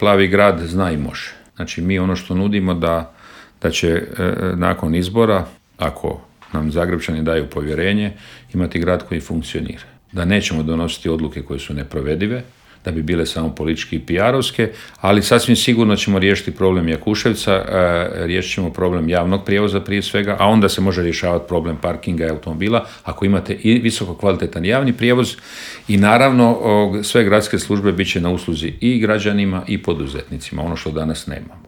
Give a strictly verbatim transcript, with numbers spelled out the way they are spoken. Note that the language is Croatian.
Plavi grad zna i može. Znači mi ono što nudimo da, da će e, nakon izbora, ako nam Zagrepčani daju povjerenje, imati grad koji funkcionira. Da nećemo donositi odluke koje su neprovedive, da bi bile samo politički i P R-ovske, ali sasvim sigurno ćemo riješiti problem Jakuševca, e, riješit ćemo problem javnog prijevoza prije svega, a onda se može rješavati problem parkinga i automobila ako imate i visoko kvalitetan javni prijevoz i naravno o, sve gradske službe bit će na usluzi i građanima i poduzetnicima, ono što danas nemamo.